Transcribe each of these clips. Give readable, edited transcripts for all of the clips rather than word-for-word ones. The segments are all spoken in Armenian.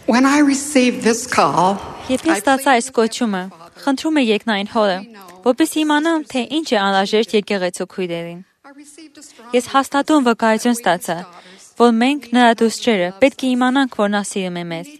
When I received this call, Երբ ես ստացա այս կոչումը, խնդրում եմ երկնային Հորը, որպեսզի իմանամ, թե ինչ է անհրաժեշտ եկեղեցու քույրերին։ Ես հաստատուն վկայություն ստացա, որ մենք նրա դուստրերը պետք է իմանանք, որ նա սիրում է մեզ։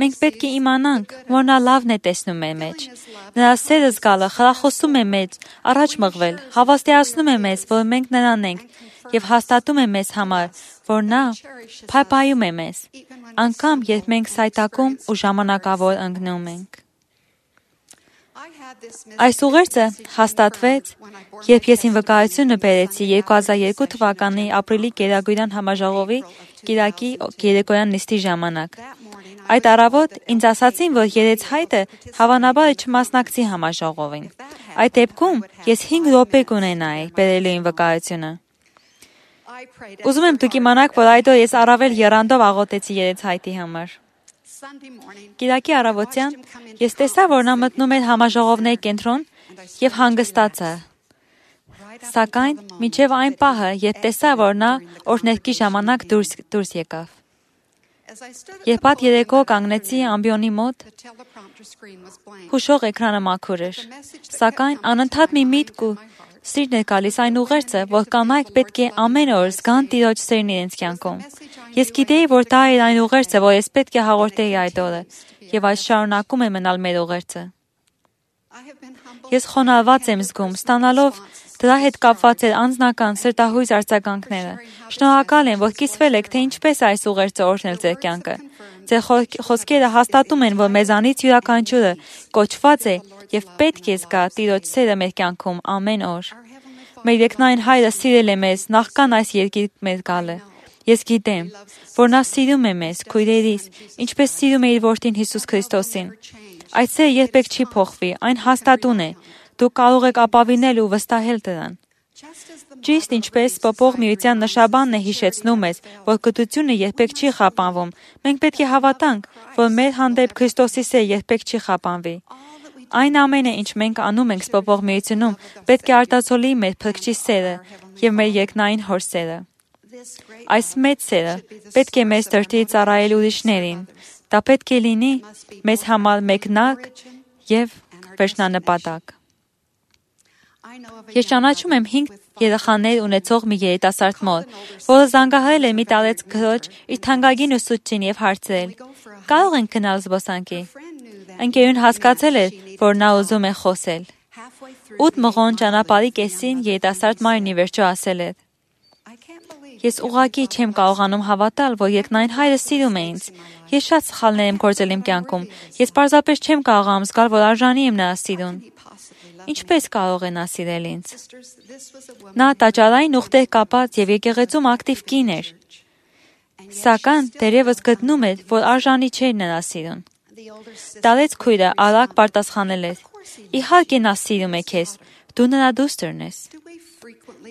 Մենք պետք է իմանանք, որ նա լավն է տեսնում մեր մեջ։ Նրա սերը զգալը խրախուսում է մեզ առաջ մղվել, հավաստիացնում է մեզ, որ մենք նրան ենք, եւ հաստատում է մեզ համար, որ նա փայփայում է մեզ, անգամ երբ մենք սայտակում ու ժամանակավոր ընկնում ենք։ Այս ուղերձը հաստատվեց, երբ ես իմ վկայությունը բերեցի 2002 թվականի ապրիլի Գերագույն համաժողովի կիրակի երեկոյան նիստի ժամանակ։ Այդ առավոտ ինձ ասացին, որ երեցհայտը հավանաբար չմասնակցի համաժողովին։ Այդ դեպքում ես 5 րոպե կունենայի բերելու իմ վկայությունը։ Ուզում եմ դուք իմանաք, որ այդօր ես առավել եռանդով աղոթեցի երեցհայտի համար։ Կիրակի առավոտյան ես տեսա, որ նա մտնում էր համաժողովների կենտրոն եւ հանգստացա։ Սակայն մինչև այն պահը, երբ տեսա, որ նա օրհներգի ժամանակ դուրս եկավ։ Երբ այդ երեկո կանգնեցի ամբիոնի մոտ, հուշող էկրանը մաքուր էր, սակայն անընդհատ մի միտք ու սիրն էր գալիս այն ուղերձը, որ կանայք պետք է ամեն օր զգան Տիրոջ սերն իրենց կյանքում։ Ես գիտեի, որ դա էր այն ուղերձը, որ ես պետք է հաղորդեի այդ օրը, եւ այս շարունակում է մնալ մեր ուղերձը։ Ես խոնարհված եմ զգում, ստանալով դրա հետ կապված էր անձնական սրտահույս արձագանքները։ Շնորհակալ եմ, որ կիսվել եք, թե ինչպես այս ուղերձը օրհնել ձեր կյանքը։ Ձեր խոսքերը հաստատում են, որ մեզանից յուրաքանչյուրը կոչված է եւ պետք է զգա Տիրոջ սերը մեր կյանքում ամեն օր։ Մեր երկնային Հայրը սիրել է մեզ նախքան այս երկիր մեր գալը։ Ես գիտեմ, որ նա սիրում է մեզ, քույրերիս, ինչպես սիրում է իր որդին Հիսուս Քրիստոսին։ Այդ սերը երբեք չի փոխվի, այն հաստատուն է։ Դուք կարող եք ապավինել ու վստահել դրան։ Ճիշտ ինչպես Պոպող Միության նշաբանն է հիշեցնում մեզ, որ գթությունը երբեք չի խափանվում, մենք պետք է հավատանք, որ մեր հանդեպ Քրիստոսի սերը երբեք չի խափանվի։ Այն ամենը, ինչ մենք անում ենք Պոպող Միությունում, պետք է արտացոլի մեր Փրկչի սերը եւ մեր երկնային Հոր սերը։ Այս մեծ սերը պետք է մեզ դրդի ծառայել ուրիշներին։ Դա պետք է լինի մեզ համար մեկնակ եւ վերջնանպատակ։ Ես ճանաչում եմ 5 երեխաներ ունեցող մի երիտասարդ մոր, որը զանգահարել էր մի տարեց քրոջ իր թանկագին ուսուցչին եւ հարցրել. «Կարող ենք գնալ զբոսանքի»։ Ընկերուն հասկացել էր, որ նա ուզում է խոսել։ 8 մղոն ճանապարհի կեսին երիտասարդ մայրն ի վերջո ասել էր. «Ես ուղղակի չեմ կարողանում հավատալ, որ երկնային Հայրը սիրում է ինձ։ Ես շատ սխալներ եմ գործել իմ կյանքում։ Ես պարզապես չեմ կարողանում զգալ, որ արժանի եմ նրա սիրուն։ Ինչպես կարող է նա սիրել ինձ»։ Նա տաճարային ուխտեր կապած եւ եկեղեցում ակտիվ կին էր։ Սակայն դերևս գտնում էր, որ արժանի չէր նրա սիրուն։ Տարեց քույրը արագ պատասխանել էր. «Իհարկե նա սիրում է քեզ, դու նրա դուստրն ես»։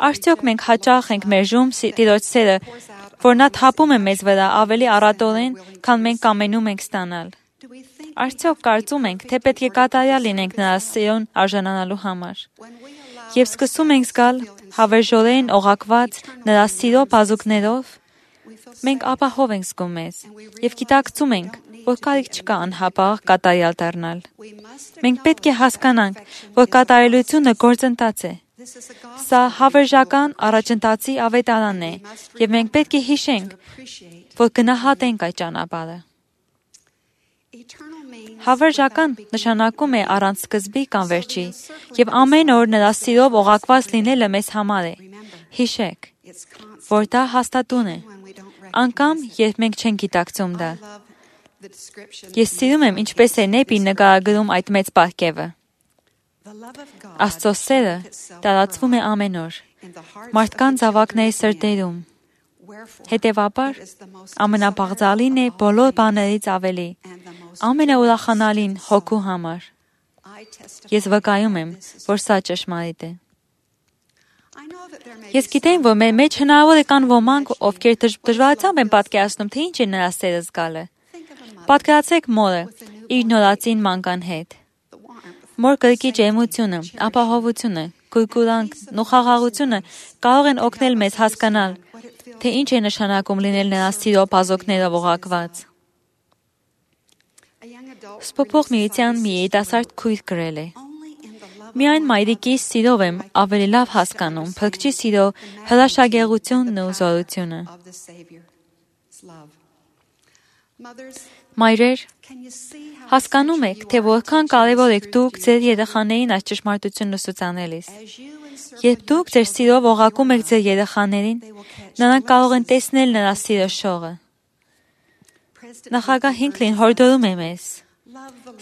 Արդյոք մենք հաճախ ենք մերժում Տիրոջ սերը, որ նա թափում է մեզ վրա ավելի առատորեն, քան մենք կամենում ենք ստանալ։ Արդյոք կարծում ենք, թե պետք է կատարյալ լինենք նրա սիրուն արժանանալու համար։ Եվ սկսում ենք զգալ հավերժորեն օղակված նրա սիրո բազուկներով, մենք ապահով ենք զգում մեզ եւ գիտակցում ենք, որ կարիք չկա անհապաղ կատարյալ դառնալ։ Մենք պետք է հասկանանք, որ կատարելությունը գործընթաց է։ Սա հավերժական առաջընթացի ավետարանն է, եւ մենք պետք է հիշենք, որ գնահատենք այդ ճանապարհը։ Հավերժական նշանակում է առանց սկզբի կամ վերջի, եւ ամեն օր նրա սիրով օղակված լինելը մեզ համար է։ Հիշեք, որ դա հաստատուն է, անգամ երբ մենք չենք գիտակցում դա։ Ես սիրում եմ, ինչպես է Նեպին նկարագրում այդ մեծ պարգևը։ Աստծո սերը տարածվում է ամեն օր, մարդկանց զավակների սրտերում։ Հետևաբար, ամենապաղծալին է բոլոր բաներից ավելի, ամենաուրախանալին հոգու համար։ Ես վկայում եմ, որ սա ճշմարիտ է։ Ես գիտեմ, որ մեր մեջ հնարավոր է կան ոմանք, ովքեր դժվարությամբ են պատկերացնում, թե ինչ է նրա սերը զգալը։ Պատկերացրեք մորը իր նորածին մանկան հետ։ Մոր կրկիչ էմոցիոնը, ապահովությունը, գուրգուրանքն ու խաղաղությունը կարող են օգնել մեզ հասկանալ, թե ինչ է նշանակում լինել նրա սիրո բազոկներով օղակված։ Սփոփող միության մի երիտասարդ քույր գրել է. Միայն մայրիկիս սիրով եմ ավելի լավ հասկանում Փրկչի սիրո հրաշագեղությունն ու զորությունը։ Մայրեր, հասկանում եք, թե որքան կարևոր եք դուք ձեր երեխաներին այս ճշմարտությունն ուսուցանելիս։ Երբ դուք ձեր սիրով օղակում եք ձեր երեխաներին, նրանք կարող են տեսնել նրա սիրո շողը։ Նախագահ Հինքլին հորդորում է մեզ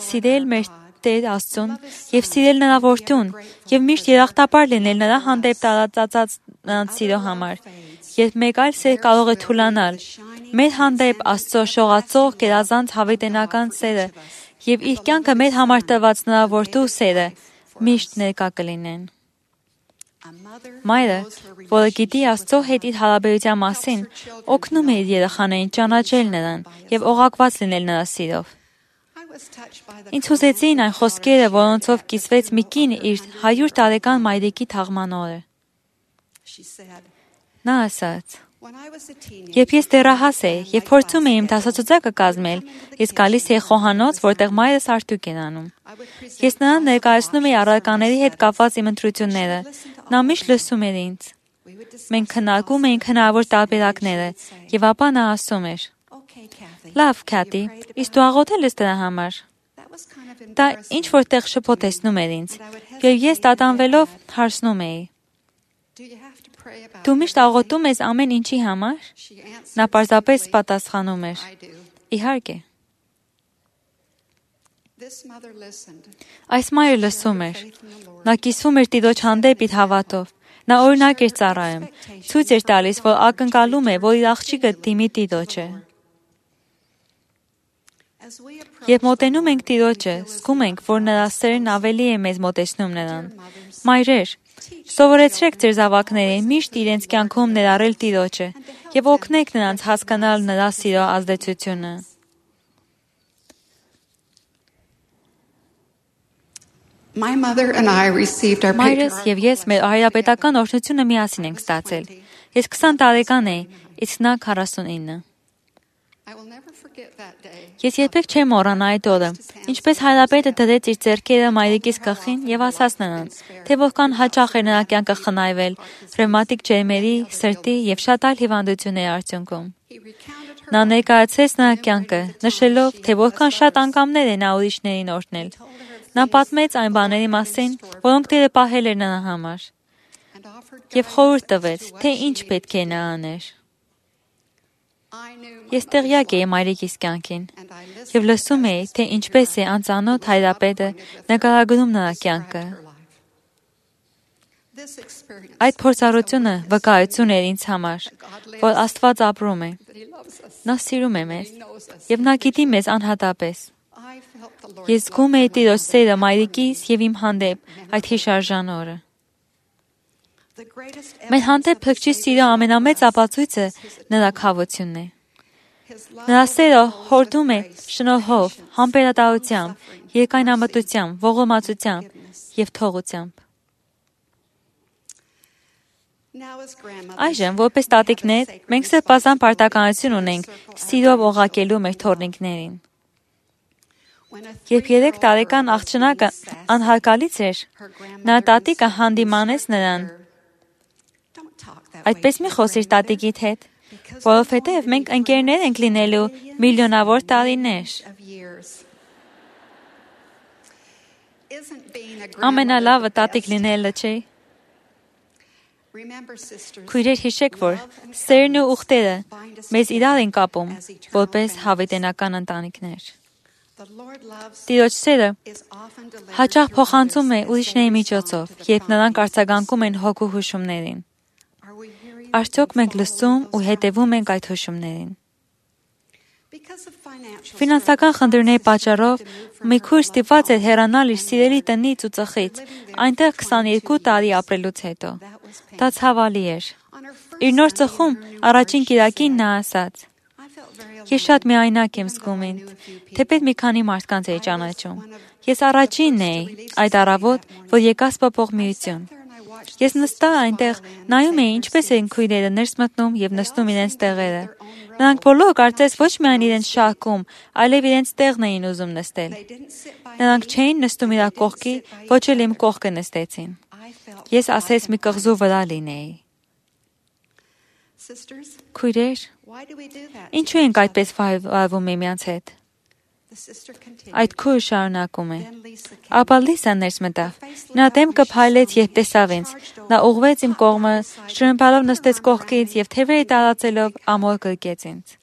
սիրել մեր Տեր Աստծուն եւ սիրել նրա որդուն եւ միշտ երախտապար լինել նրա հանդեպ տարածած նրանց սիրո համար։ Երբ մեկ այլ սեր կարող է թուլանալ, մեր հանդեպ Աստծո շողացող գերազանց հավիտենական սերը եւ իր կյանքը մեր համար տրված նրա որդու սերը միշտ ներկա կլինեն։ Մայրը, որը գիտի Աստծո հետ իր հարաբերության մասին, օգնում է իր երեխաներին ճանաչել նրան եւ օղակված լինել նրա սիրով։ Ինձ հուզեցին այն խոսքերը, որոնցով կիսվեց մի կին իր 100 տարեկան մայրիկի թաղման օրը։ Նա ասաց. Երբ ես դեռահաս էի եւ փորձում էի իմ դասացուցակը կազմել, ես գալիս էի խոհանոց, որտեղ մայրս արդյունք էր անում։ Ես նրան ներկայացնում էի առարկաների հետ կապված իմ ընտրությունները։ Նա միշտ լսում էր ինձ։ Մենք քննարկում էինք հնարավոր տարբերակները, եւ ապա նա ասում էր. Լավ, Քաթի, իսկ դու աղոթել ես դրա համար։ Դա ինչ որտեղ շփոթեցնում էր ինձ, եւ ես տատանվելով հարցնում էի. Դու միշտ աղոթում ես ամեն ինչի համար։ Նա պարզապես պատասխանում էր. Իհարկե։ Այս մայրը լսում էր։ Նա կիսվում էր Տիրոջ հանդեպ իր հավատով։ Նա օրինակ էր ծառայում, ցույց էր տալիս, որ ակնկալում է, որ իր աղջիկը դիմի Տիրոջը։ Երբ մոտենում ենք Տիրոջը, զգում ենք, որ նրա սերն ավելի է մեզ մոտեցնում նրան։ Մայրեր, սովորեցրեք ձեր զավակներին միշտ իրենց կյանքում ներառել Տիրոջը եւ օգնեք նրանց հասկանալ նրա սիրո ազդեցությունը։ Մայրս եւ ես մեր հայրապետական օրհնությունը միասին ենք ստացել։ Ես 20 տարեկան էի, իսկ նա 49։ Ես երբեք չեմ մոռանա այդ օրը, ինչպես հայրապետը դրեց իր ձեռքերը մայրիկիս գլխին եւ ասաց նրան, թե որքան հաճախ էր նրա կյանքը խնայվել ռևմատիկ ջերմերի, սրտի եւ շատ այլ հիվանդությունների արդյունքում։ Նա ներկայացրեց նրա կյանքը, նշելով, թե որքան շատ անգամներ է նա ուրիշներին օրհնել։ Նա պատմեց այն բաների մասին, որոնք Տերը պահել էր նրա համար, եւ խորհուրդ տվեց, թե ինչ պետք է նա աներ։ Ես տեղյակ էի մայրիկիս կյանքին եւ լսում էի, թե ինչպես է անծանոթ հայրապետը նկարագրում նրա կյանքը։ Այդ փորձառությունը վկայություն էր ինձ համար, որ Աստված ապրում է։ Նա սիրում է մեզ եւ նա գիտի մեզ անհատապես։ Ես զգում էի Տիրոջ սերը մայրիկիս եւ իմ հանդեպ այդ հիշարժան օրը։ Մեր հանդեպ Փրկչի սիրո ամենամեծ ապացույցը նրա քավությունն է։ Նրա սերը հորդում է շնորհով, համբերատարությամբ, երկայնամտությամբ, ողորմածությամբ եւ թողությամբ։ Այժմ, որպես տատիկներ, մենք սրբազան պարտականություն ունենք սիրով օղակելու մեր թոռնիկներին։ Երբ 3 տարեկան աղջնակը անհարգալից էր, նա տատիկը հանդիմանեց նրան. Այդպես մի խոսիր տատիկիդ հետ, որովհետև մենք ընկերներ ենք լինելու միլիոնավոր տարիներ։ Ամենալավը տատիկ լինելը չէ։ Քույրեր հիշեք, որ սերն ու ուխտերը մեզ իրար են կապում, որպես հավիտենական ընտանիքներ։ Տիրոջ սերը հաճախ փոխանցում է ուրիշների միջոցով, երբ նրանք արձագանքում են հոգու հուշումներին։ Արդյոք մենք լսում ու հետևում ենք այդ հուշումներին։ Ֆինանսական խնդիրների պատճառով մի քույր ստիպված էր հեռանալ իր սիրելի տնից ու ծխից, այնտեղ 22 տարի ապրելուց հետո։ Դա ցավալի էր։ Իր նոր ծխում առաջին կիրակին նա ասաց. Ես շատ միայնակ եմ զգում ինձ, թեպետ մի քանի մարդկանց էի ճանաչում։ Ես առաջինն էի այդ առավոտ, որ եկա սփոփող միություն։ Ես նստա այնտեղ նայում էի ինչպես են քույրերը ներս մտնում եւ նստում իրենց տեղերը։ Նրանք բոլորը կարծես ոչ միայն իրենց շահքում, այլև իրենց տեղն էին ուզում նստել։ Նրանք չէին նստում իր կողքի, ոչ էլ իմ կողքը նստեցին։ Ես ասես մի կղզու վրա լինեի։ Քույրեր, ինչու ենք այդպես վարվում միմյանց հետ։ Այդ քույրը շարունակում է։ Ապա Լիսան ներս մտավ։ Նա դեմքը փայլեց, երբ տեսավ ինձ։ Նա ուղղվեց իմ կողմը, շրմփալով նստեց կողքից եւ թևերը տարածելով ամոր գրկեց ինձ։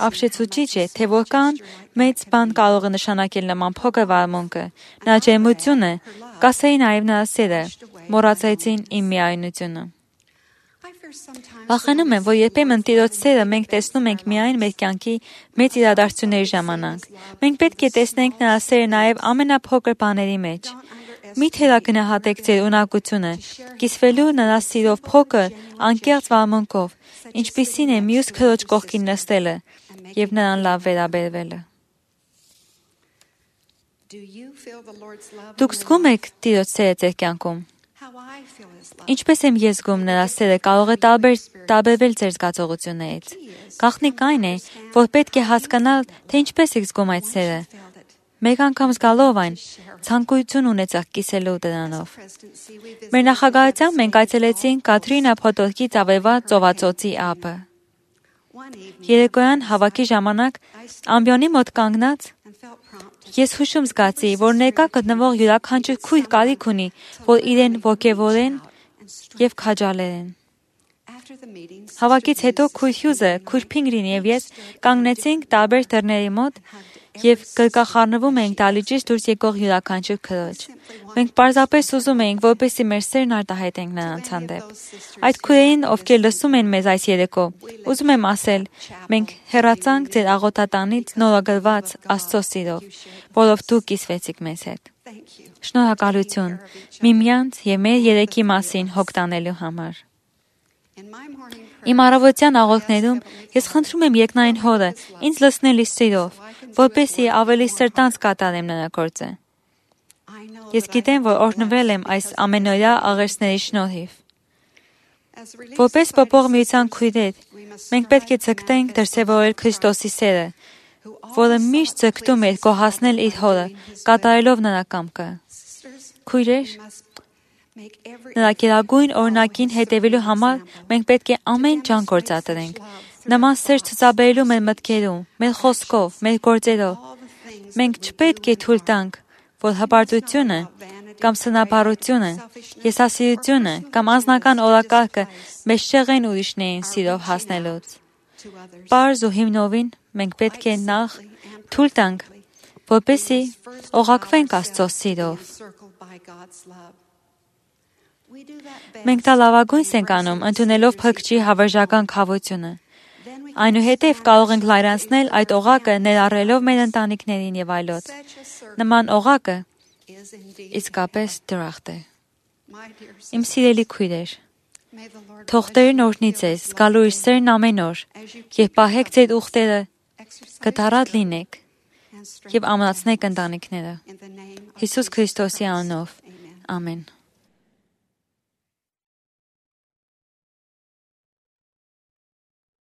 Ապշեցուցիչ է, թե որքան մեծ բան կարող է նշանակել նման փոքր վարմունքը։ Նա ջերմությունը, կասեի նաեւ նրա սերը, մոռացեցին իմ միայնությունը։ Վախենում եմ, որ երբեմն Տիրոջ սերը մենք տեսնում ենք միայն մեր կյանքի մեծ իրադարձությունների ժամանակ։ Մենք պետք է տեսնենք նրա սերը նաև ամենափոքր բաների մեջ։ Մի թերագնահատեք ձեր ունակությունը, կիսվելու նրա սիրով փոքր, անկեղծ վարմունքով, ինչպիսին է մյուս քրոջ կողքին նստելը եւ նրան լավ վերաբերվելը։ Դուք զգում եք Տիրոջ սերը ձեր կյանքում։ Ինչպես եմ ես զգում նրա սերը կարող է տարբերվել ձեր զգացողություններից։ Գաղտնիք այն է, որ պետք է հասկանալ, թե ինչպես եք զգում այդ սերը։ Մեկ անգամ զգալով այն, ցանկություն ունեցաք կիսելու դրանով։ Մեր նախագահությամբ մենք այցելեցինք Կատրինա փոթորկից ավերված ծովածոցի ափը։ Երեկոյան հավաքի ժամանակ ամբիոնի մոտ կանգնած ես հուշում զգացի, որ ներկա գտնվող յուրաքանչյուր քույր կարիք ունի, որ իրեն ոգևորեն եւ քաջալերեն։ Հավաքից հետո քույր Հյուզը, քույր Փինգրին եւ ես կանգնեցինք տարբեր դռների մոտ եւ գրկախառնվում էինք դալիճից դուրս եկող յուրաքանչյուր քրոջ։ Մենք պարզապես ուզում էինք, որպեսզի մեր սերն արտահայտենք նրանց հանդեպ։ Այդ քույրերին, ովքեր լսում են մեզ այս երեկո, ուզում եմ ասել, մենք հեռացանք ձեր աղոթատանից նորագրված Աստծո սիրով, որով դուք կիսվեցիք մեզ հետ։ Շնորհակալություն միմյանց եւ մեր երեքի մասին հոգ տանելու համար։ Իմ առավոտյան աղոթքներում ես խնդրում եմ երկնային Հորը ինձ լցնել իր սիրով, որպեսզի ավելի սրտանց կատարեմ նրա գործը։ Ես գիտեմ, որ օրհնվել եմ այս ամենօրյա աղերսների շնորհիվ։ Որպես Պապող միության քույրեր, մենք պետք է ձգտենք դրսևորել Քրիստոսի սերը, որը միշտ ձգտում էր գոհացնել իր Հորը, կատարելով նրա կամքը։ Քույրեր, նրա գերագույն օրինակին հետևելու համար մենք պետք է ամեն ջանք գործադրենք։ Նման սեր ցուցաբերելու մեր մտքերում, մեր խոսքով, մեր գործերով։ Մենք չպետք է թույլ տանք, որ հպարտությունը կամ սնաբարությունը, եսասիրությունը կամ անձնական օրակարգը մեզ շեղեն ուրիշներին սիրով հասնելուց։ Պարզ ու հիմնովին մենք պետք է նախ թույլ տանք, որպեսզի օղակվենք Աստծո սիրով։ Մենք դա լավագույնս ենք անում, ընդունելով Փրկչի հավերժական քավությունը։ Այնուհետև կարող ենք լայրանցնել այդ օղակը ներառելով մեր ընտանիքներին եւ այլոց։ Նման օղակը իսկապես դրախտ է։ Իմ սիրելի քույրեր, թող Տերն օրհնի ձեզ, զգալու իր սերն ամեն օր, եւ պահեք ձեր ուխտերը, կտարած լինեք եւ ամրացնեք ընտանիքները։ Հիսուս Քրիստոսի անունով։ Ամեն։